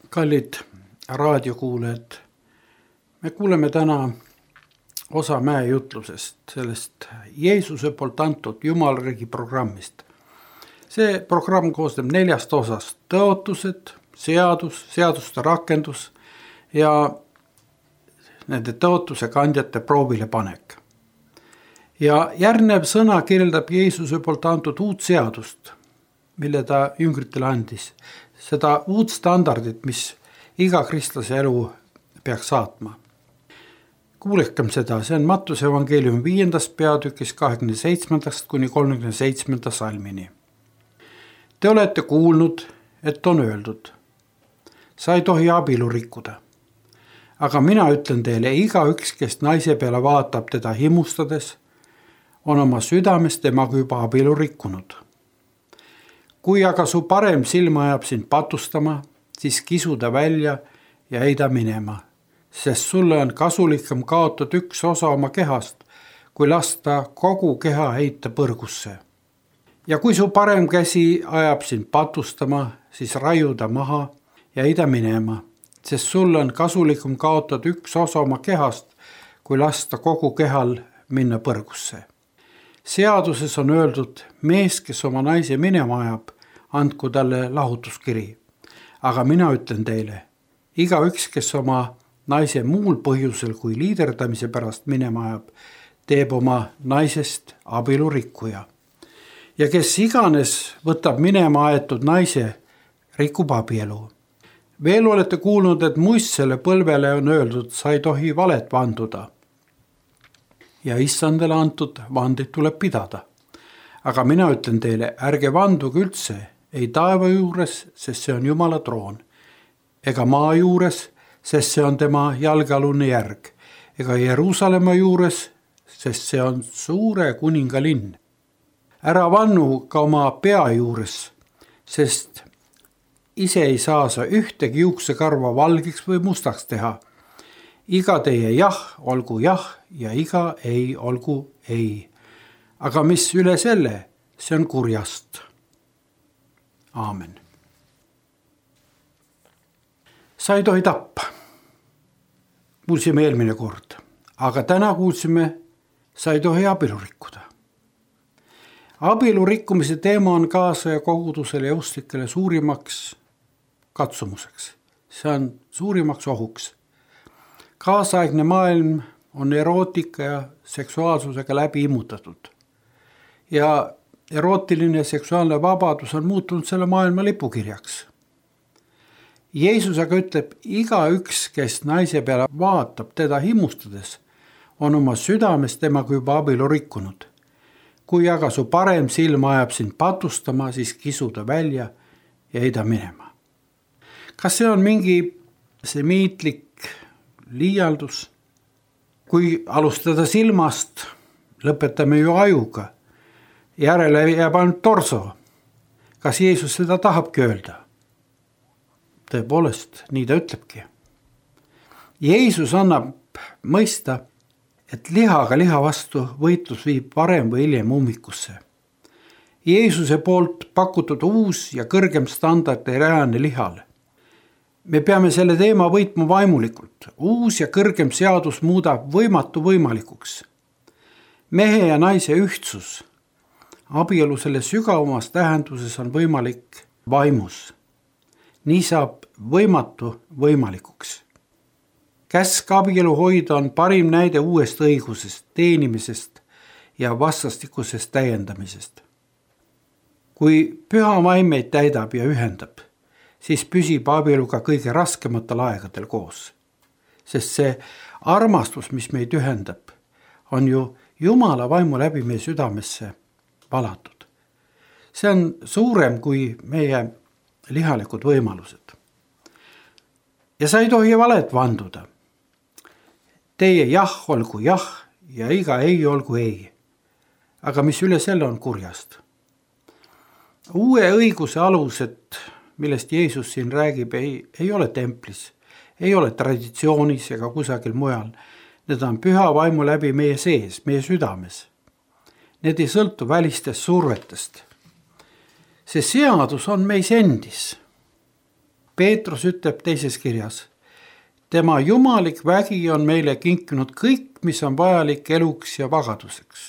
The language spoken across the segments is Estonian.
Kallid raadiokuulajad, me kuuleme täna osa mäejutlusest, sellest Jeesuse poolt antud Jumalariigi programmist. See programm koosneb 4 osast: tõotused, seaduste rakendus ja nende tõotuse kandjate proovile panek. Ja järgnev sõna kirjeldab Jeesuse poolt antud uut seadust, mille ta jüngritele andis. Seda uut standardit, mis iga kristlase elu peaks saatma. Kuulekem seda, see on Mattuse evangeeliumi 5. peatükis 27. kuni 37. salmini. Te olete kuulnud, et on öeldud: sa ei tohi abielu rikkuda. Aga mina ütlen teile, igaüks, kes naise peale vaatab teda himustades, on oma südames temaga juba abielu rikkunud. Kui aga su parem silma ajab sind patustama, siis kisu ta välja ja heida minema, sest sulle on kasulikum kaotada üks osa oma kehast, kui lasta kogu keha heita põrgusse. Ja kui su parem käsi ajab sind patustama, siis raiu ta maha ja heida minema, sest sulle on kasulikum kaotada üks osa oma kehast, kui lasta kogu kehal minna põrgusse. Seaduses on öeldud: mees, kes oma naise minema ajab, andku talle lahutuskiri. Aga mina ütlen teile, igaüks, kes oma naise muul põhjusel kui liiderdamise pärast minema ajab, teeb oma naisest abielurikkuja. Ja kes iganes võtab minema aetud naise, rikub abielu. Veel olete kuulnud, et muistsele põlvele on öeldud: sa ei tohi valet vanduda. Ja issandale antud vandeid tuleb pidada. Aga mina ütlen teile, ärge vanduge üldse, ei taeva juures, sest see on Jumala troon, ega maa juures, sest see on tema jalgealune järg, ega Jeruusalemma juures, sest see on suure kuninga linn. Ära vannu ka oma pea juures, sest ise ei saa sa ühtegi juuksekarva valgeks või mustaks teha. Iga teie jah olgu jah ja iga ei olgu ei. Aga mis üle selle, see on kurjast. Aamen. Sa ei tohi tappa. Kuulsime eelmine kord, aga täna kuulsime, sa ei tohi abielu rikkuda. Abielu rikkumise teema on kaasaja kogudusele ja usklikele suurimaks katsumuseks. See on suurimaks ohuks. Kaasaegne maailm on erootika ja seksuaalsusega läbi immutatud. Ja erootiline ja seksuaalne vabadus on muutunud selle maailma lipukirjaks. Jeesus aga ütleb, igaüks, kes naise peale vaatab teda himustades, on oma südames temaga juba abielu rikkunud. Kui aga su parem silm ajab sind patustama, siis kisuda välja ja heida minema. Kas see on mingi semiitlik liialdus? Kui alustada silmast, lõpetame ju ajuga. Järele jääb ainult torso. Kas Jeesus seda tahabki öelda? Tõepoolest, nii ta ütlebki. Jeesus annab mõista, et lihaga liha vastu võitlus viib varem või hiljem ummikusse. Jeesuse poolt pakutud uus ja kõrgem standard ei rajane lihal. Me peame selle teema võitma vaimulikult. Uus ja kõrgem seadus muudab võimatu võimalikuks. Mehe ja naise ühtsus. Abielu selle sügavamas tähenduses on võimalik vaimus. Nii saab võimatu võimalikuks. Käsk abielu hoida on parim näide uuest õigusest, teenimisest ja vastastikusest täiendamisest. Kui püha vaim meid täidab ja ühendab, siis püsib abielu ka kõige raskematel aegadel koos. Sest see armastus, mis meid ühendab, on ju Jumala vaimu läbi meie südamesse valatud. See on suurem kui meie lihalikud võimalused. Ja sa ei tohi valet vanduda. Teie jah olgu jah ja iga ei olgu ei. Aga mis üle selle on kurjast? Uue õiguse alused, millest Jeesus siin räägib, ei ole templis, ei ole traditsioonis ega kusagil mujal. Need on püha vaimu läbi meie sees, meie südames. Need ei sõltu välistest survetest. See seadus on meis endis. Peetrus ütleb teises kirjas, tema jumalik vägi on meile kinkinud kõik, mis on vajalik eluks ja vagaduseks.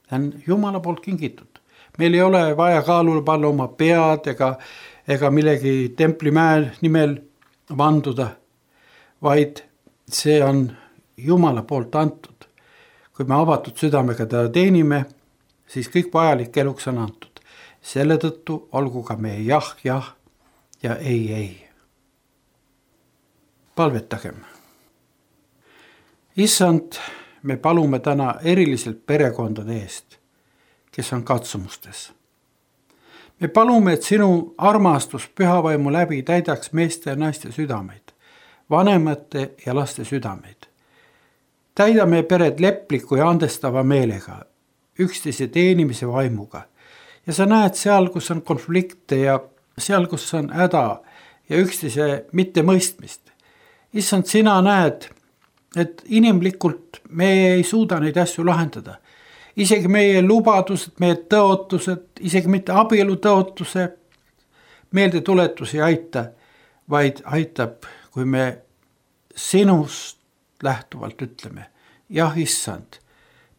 See on Jumala poolt kingitud. Meil ei ole vaja kaalule panna oma pead ega millegi templimäe nimel vanduda, vaid see on Jumala poolt antud. Kui me avatud südamega teda teenime, siis kõik vajalik eluks on antud. Selle tõttu olgu ka meie jah ja ei. Palvetagem. Issand, me palume täna eriliselt perekondade eest, kes on katsumustes. Me palume, et sinu armastus pühavaimu läbi täidaks meeste ja naiste südameid, vanemate ja laste südameid. Täida meie pered lepliku ja andestava meelega, üksteise teenimise vaimuga. Ja sa näed seal, kus on konflikte ja seal, kus on häda ja üksteise mittemõistmist. Issand, sina näed, et inimlikult me ei suuda neid asju lahendada. Isegi meie lubadused, meie tõotused, isegi mitte abielu tõotuse meeldetuletus ei aita, vaid aitab, kui me sinust lähtuvalt ütleme, jah, issand,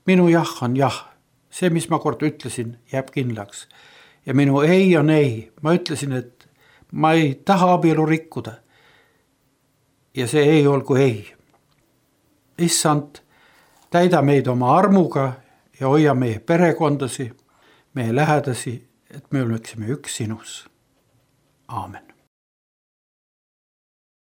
minu jah on jah, see, mis ma kord ütlesin, jääb kindlaks. Ja minu ei on ei, ma ütlesin, et ma ei taha abielu rikkuda. Ja see ei olgu ei. Issand, täida meid oma armuga ja hoia meie perekondasi, meie lähedasi, et me oleksime üks sinus. Aamen.